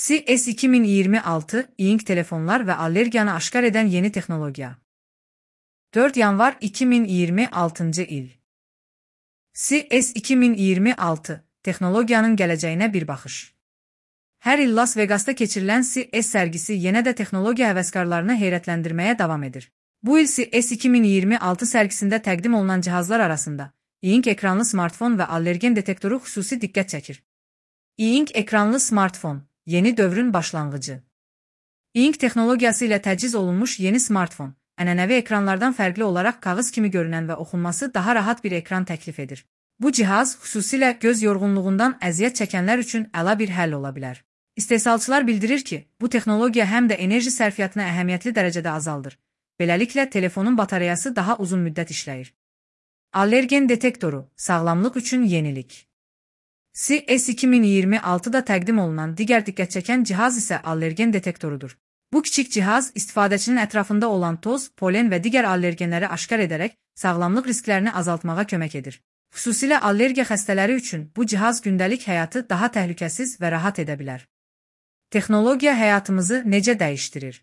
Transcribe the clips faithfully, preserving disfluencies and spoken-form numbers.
C E S iki min iyirmi altı, İNK telefonlar ve allergiyanı aşkar eden yeni teknolojiya. dört yanvar iki bin iyirmi altıncı il. C E S iki min iyirmi altı, teknolojiyanın geleceğine bir bakış. Her il Las Vegas'ta keçirilən C E S sergisi yenə də texnologiya həvəskarlarını heyrətləndirməyə davam edir. Bu il C E S iki min iyirmi altı sergisində təqdim olunan cihazlar arasında İNK ekranlı smartfon və allergen detektoru xüsusi diqqət çəkir. İNK ekranlı smartfon, yeni dövrün başlanğıcı. İNK texnologiyası ilə təchiz olunmuş yeni smartfon, ənənəvi ekranlardan fərqli olaraq kağız kimi görünən və oxunması daha rahat bir ekran təklif edir. Bu cihaz xüsusilə göz yorğunluğundan əziyyət çəkənlər üçün əla bir həll ola bilər. İstehsalçılar bildirir ki, bu texnologiya həm də enerji sərfiyyatını əhəmiyyətli dərəcədə azaldır. Beləliklə, telefonun batareyası daha uzun müddət işləyir. Allergen detektoru, sağlamlıq üçün yenilik. C E S iki min iyirmi altıda təqdim olunan digər diqqət çəkən cihaz isə allergen detektorudur. Bu kiçik cihaz, istifadəçinin ətrafında olan toz, polen və digər allergenləri aşkar edərək sağlamlıq risklərini azaltmağa kömək edir. Xüsusilə allergiya xəstələri üçün bu cihaz gündəlik həyatı daha təhlükəsiz və rahat edə bilər. Texnologiya həyatımızı necə dəyişdirir?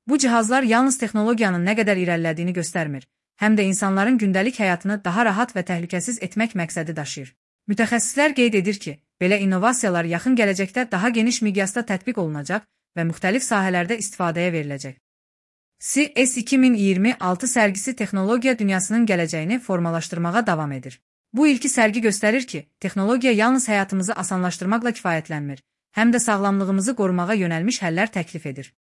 Bu cihazlar yalnız texnologiyanın nə qədər irəlilədiyini göstərmir, həm də insanların gündəlik həyatını daha rahat və təhlükəsiz etmək məqsədi daşıyır. Mütəxəssislər qeyd edir ki, belə innovasiyalar yaxın gələcəkdə daha geniş miqyasda tətbiq olunacaq və müxtəlif sahələrdə istifadəyə veriləcək. C E S iki min iyirmi altı sərgisi texnologiya dünyasının gələcəyini formalaşdırmağa davam edir. Bu ilki sərgi göstərir ki, texnologiya yalnız həyatımızı asanlaşdırmaqla kifayətlənmir, həm də sağlamlığımızı qorumağa yönəlmiş həllər təklif edir.